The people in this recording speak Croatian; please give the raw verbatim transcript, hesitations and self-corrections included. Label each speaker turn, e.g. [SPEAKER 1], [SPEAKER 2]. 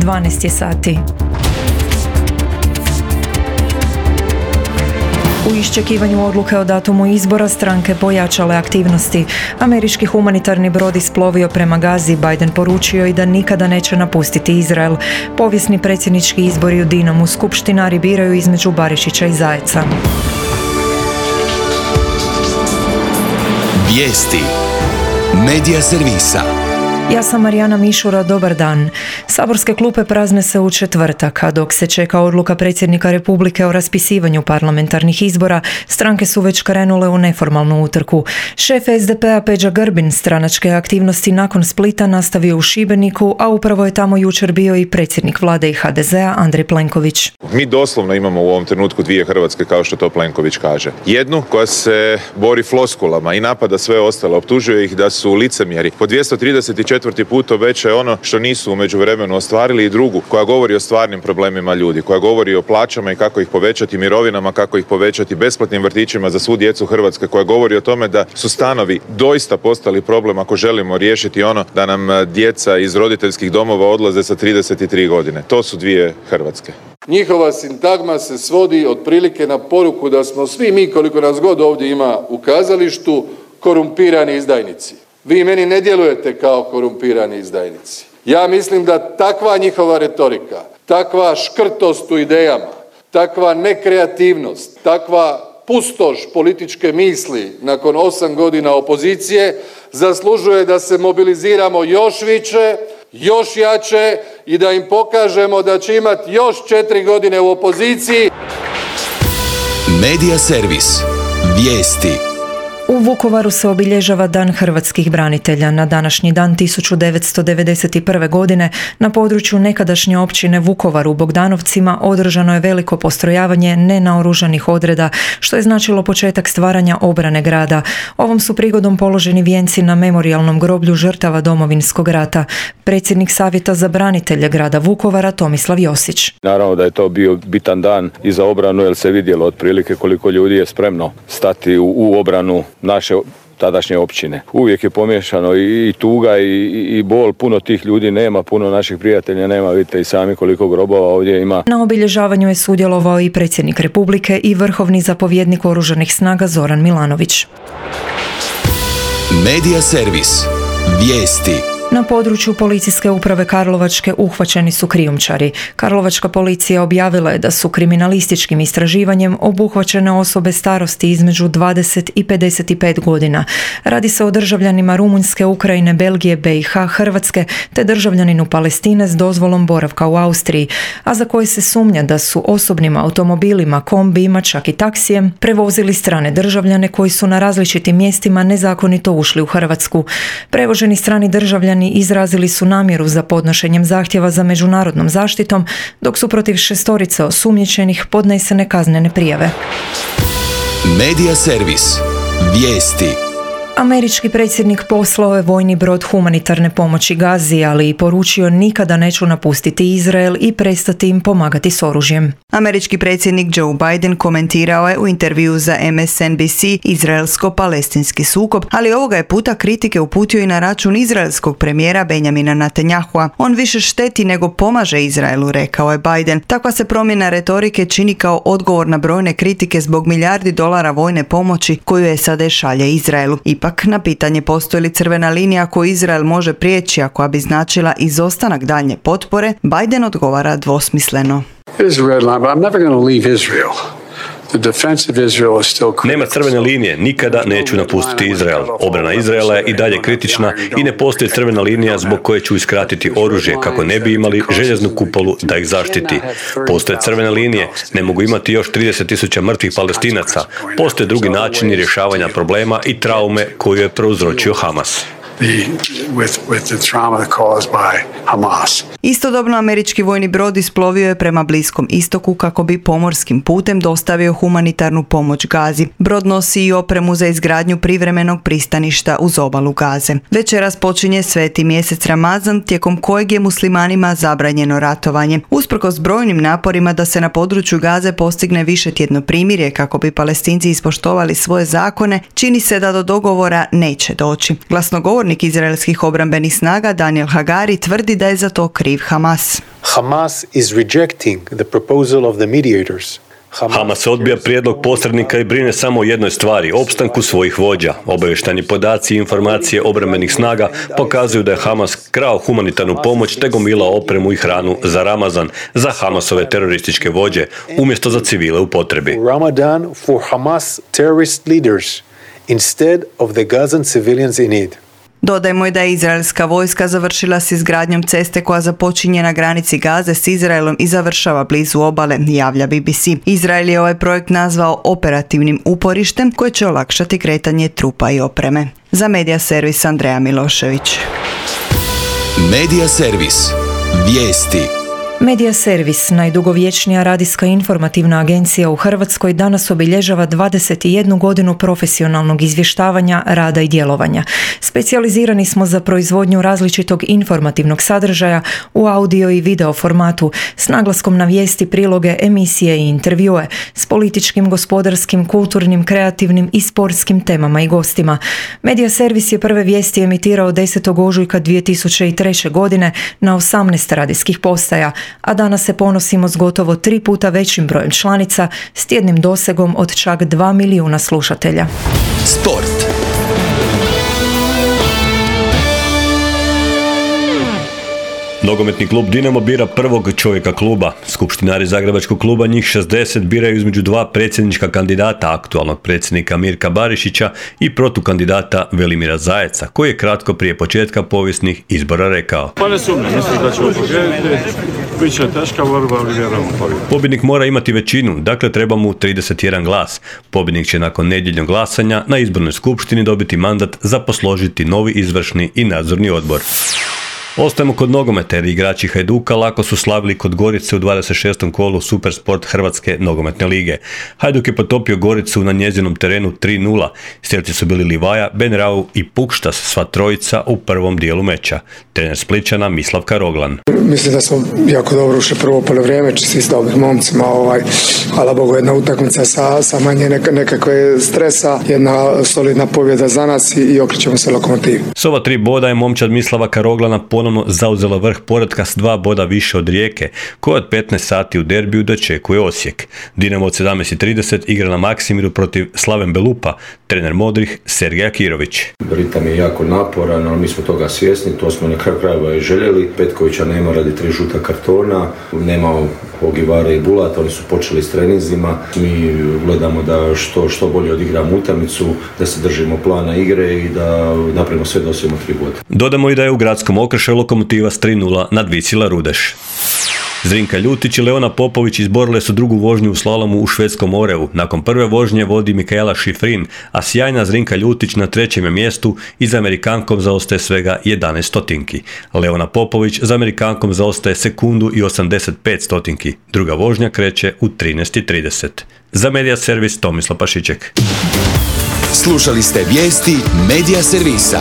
[SPEAKER 1] dvanaest je sati. U iščekivanju odluke o datumu izbora stranke pojačale aktivnosti. Američki humanitarni brod isplovio prema Gazi. Biden poručio i da nikada neće napustiti Izrael. Povijesni predsjednički izbori u Dinamu. Skupštinari biraju između Barišića i Zajeca.
[SPEAKER 2] Vijesti Medija servisa.
[SPEAKER 1] Ja sam Marijana Mišura, dobar dan. Saborske klupe prazne se u četvrtak, a dok se čeka odluka predsjednika Republike o raspisivanju parlamentarnih izbora, stranke su već krenule u neformalnu utrku. Šef es de pe a Peđa Grbin stranačke aktivnosti nakon Splita nastavio u Šibeniku, a upravo je tamo jučer bio i predsjednik vlade i ha de zea Andrej Plenković.
[SPEAKER 3] Mi doslovno imamo u ovom trenutku dvije Hrvatske, kao što to Plenković kaže. Jednu koja se bori floskulama i napada sve ostale, optužuje ih da su licemjeri. Po dvjesto trideset četvrti put obećaje ono što nisu u međuvremenu ostvarili, i drugu koja govori o stvarnim problemima ljudi, koja govori o plaćama i kako ih povećati, mirovinama kako ih povećati, besplatnim vrtićima za svu djecu Hrvatske, koja govori o tome da su stanovi doista postali problem ako želimo riješiti ono da nam djeca iz roditeljskih domova odlaze sa trideset tri godine. To su dvije Hrvatske.
[SPEAKER 4] Njihova sintagma se svodi otprilike na poruku da smo svi mi, koliko nas god ovdje ima u kazalištu, korumpirani izdajnici. Vi meni ne djelujete kao korumpirani izdajnici. Ja mislim da takva njihova retorika, takva škrtost u idejama, takva nekreativnost, takva pustoš političke misli nakon osam godina opozicije zaslužuje da se mobiliziramo još više, još jače i da im pokažemo da će imati još četiri godine u opoziciji.
[SPEAKER 2] Medija servis. Vijesti.
[SPEAKER 1] U Vukovaru se obilježava Dan hrvatskih branitelja. Na današnji dan tisuću devetsto devedeset prve. godine na području nekadašnje općine Vukovar u Bogdanovcima održano je veliko postrojavanje nenaoružanih odreda, što je značilo početak stvaranja obrane grada. Ovom su prigodom položeni vijenci na memorijalnom groblju žrtava Domovinskog rata. Predsjednik Savjeta za branitelje grada Vukovara Tomislav Josić.
[SPEAKER 5] Naravno da je to bio bitan dan i za obranu, jer se vidjelo otprilike koliko ljudi je spremno stati u, u obranu naše tadašnje općine. Uvijek je pomiješano i, i tuga i, i bol, puno tih ljudi nema, puno naših prijatelja nema, vidite i sami koliko grobova ovdje ima.
[SPEAKER 1] Na obilježavanju je sudjelovao i predsjednik Republike i vrhovni zapovjednik Oružanih snaga Zoran Milanović.
[SPEAKER 2] Medija servis. Vijesti.
[SPEAKER 1] Na području policijske uprave Karlovačke uhvaćeni su krijumčari. Karlovačka policija objavila je da su kriminalističkim istraživanjem obuhvaćene osobe starosti između dvadeset i pedeset pet godina. Radi se o državljanima Rumunjske, Ukrajine, Belgije, be i ha, Hrvatske te državljaninu Palestine s dozvolom boravka u Austriji, a za koje se sumnja da su osobnim automobilima, kombijima, čak i taksijem prevozili strane državljane koji su na različitim mjestima nezakonito ušli u Hrvatsku. Prevoženi strani državljani izrazili su namjeru za podnošenjem zahtjeva za međunarodnom zaštitom, dok su protiv šestorice osumnjičenih podnesene kaznene prijave.
[SPEAKER 2] Medija servis. Vijesti.
[SPEAKER 1] Američki predsjednik poslao je vojni brod humanitarne pomoći Gazi, ali i poručio nikada neću napustiti Izrael i prestati im pomagati s oružjem.
[SPEAKER 6] Američki predsjednik Joe Biden komentirao je u intervju za em es en bi si izraelsko-palestinski sukob, ali ovoga je puta kritike uputio i na račun izraelskog premijera Benjamina Netanjahua. On više šteti nego pomaže Izraelu, rekao je Biden. Takva se promjena retorike čini kao odgovor na brojne kritike zbog milijardi dolara vojne pomoći koju je SAD šalje Izraelu. Ipak, na pitanje postoji li crvena linija koju Izrael može prijeći, a koja bi značila izostanak daljnje potpore, Biden odgovara dvosmisleno.
[SPEAKER 7] Nema crvene linije, nikada neću napustiti Izrael. Obrana Izraela je i dalje kritična i ne postoji crvena linija zbog koje ću iskratiti oružje kako ne bi imali željeznu kupolu da ih zaštiti. Postoje crvene linije, ne mogu imati još trideset tisuća mrtvih Palestinaca. Postoje drugi načini rješavanja problema i traume koju je prouzročio Hamas.
[SPEAKER 8] With, with the trauma caused by Hamas.
[SPEAKER 6] Istodobno američki vojni brod isplovio je prema Bliskom istoku kako bi pomorskim putem dostavio humanitarnu pomoć Gazi. Brod nosi i opremu za izgradnju privremenog pristaništa uz obalu Gaze. Večeras počinje sveti mjesec Ramazan, tijekom kojeg je muslimanima zabranjeno ratovanje. Usprkos brojnim naporima da se na području Gaze postigne višetjedno primirje kako bi Palestinci ispoštovali svoje zakone, čini se da do dogovora neće doći. Glasnogovornik pukovnik izraelskih obrambenih snaga Daniel Hagari tvrdi da je za to kriv Hamas.
[SPEAKER 9] Hamas is rejecting the proposal of the mediators.
[SPEAKER 7] Hamas odbija prijedlog posrednika i brine samo o jednoj stvari, opstanku svojih vođa. Obavještajni podaci i informacije obrambenih snaga pokazuju da je Hamas krao humanitarnu pomoć te gomilao opremu i hranu za Ramazan, za Hamasove terorističke vođe, umjesto za civile u potrebi.
[SPEAKER 9] Ramadan for Hamas terrorist leaders instead of the Gazan civilians in need.
[SPEAKER 6] Dodajmo i da je izraelska vojska završila s izgradnjom ceste koja započinje na granici Gaze s Izraelom i završava blizu obale, javlja B B C. Izrael je ovaj projekt nazvao operativnim uporištem koje će olakšati kretanje trupa i opreme. Za Medija servis Andreja Milošević.
[SPEAKER 2] Medija servis. Vijesti.
[SPEAKER 1] Medija servis, najdugovječnija radijska informativna agencija u Hrvatskoj, danas obilježava dvadeset jednu godinu profesionalnog izvještavanja, rada i djelovanja. Specijalizirani smo za proizvodnju različitog informativnog sadržaja u audio i video formatu s naglaskom na vijesti, priloge, emisije i intervjue s političkim, gospodarskim, kulturnim, kreativnim i sportskim temama i gostima. Medija servis je prve vijesti emitirao desetog ožujka dvije tisuće treće. godine na osamnaest radijskih postaja, a danas se ponosimo s gotovo tri puta većim brojem članica s tjednim dosegom od čak dva milijuna slušatelja.
[SPEAKER 2] Sport.
[SPEAKER 7] Nogometni klub Dinamo bira prvog čovjeka kluba. Skupštinari Zagrebačkog kluba, njih šezdeset, biraju između dva predsjednička kandidata, aktualnog predsjednika Mirka Barišića i protukandidata Velimira Zajeca, koji je kratko prije početka povijesnih izbora rekao:
[SPEAKER 10] Pa ne sumnjam, mislim da ćemo pobijediti, bit će teška borba, ali vjerujem u pobjedu.
[SPEAKER 7] Pobjednik mora imati većinu, dakle treba mu trideset jedan glas. Pobjednik će nakon nedjeljnog glasanja na izbornoj skupštini dobiti mandat za posložiti novi izvršni i nadzorni odbor. Ostajemo kod nogometa jer igrači Hajduka lako su slavili kod Gorice u dvadeset šestom kolu Supersport Hrvatske nogometne lige. Hajduk je potopio Goricu na njezinom terenu tri nula. Strelci su bili Livaja, Benrau i Pukštas, sva trojica u prvom dijelu meča. Trener Splićana Mislav Karoglan.
[SPEAKER 11] Mislim da smo jako dobro ušli prvo polovrijeme, čisti s dobrim momcima. Ovaj, hvala Bogu, jedna utakmica sa, sa manje neka, nekakve stresa, jedna solidna pobjeda za nas i, i okrećemo se Lokomotivi.
[SPEAKER 7] S ova tri boda je momčad Mislava Karoglana ponovno zauzela vrh poretka s dva boda više od Rijeke, koja od petnaest sati u derbiju dočekuje Osijek. Dinamo od sedamnaest i trideset igra na Maksimiru protiv Slaven Belupa, trener modrih Sergej Akirović.
[SPEAKER 12] Ritam je jako naporan, ali mi smo toga svjesni, to smo na kraju krajeva i željeli. Petkovića nema radi tri žuta kartona, nema Ogivare i Bulata, oni su počeli s treninzima. Mi gledamo da što, što bolje odigramo utakmicu, da se držimo plana igre i da napravimo sve da osvojimo tri boda.
[SPEAKER 7] Dodamo i da je u gradskom Okršaju Lokomotiva s tri nula nadvisila Rudeš. Zrinka Ljutić i Leona Popović izborile su drugu vožnju u slalomu u švedskom Oreu. Nakon prve vožnje vodi Mikaela Šifrin, a sjajna Zrinka Ljutić na trećem je mjestu i za Amerikankom zaostaje svega jedanaest stotinki. Leona Popović za Amerikankom zaostaje sekundu i osamdeset pet stotinki. Druga vožnja kreće u trinaest i trideset. Za Medija servis Tomislav Pašiček.
[SPEAKER 2] Slušali ste vijesti Medija servisa.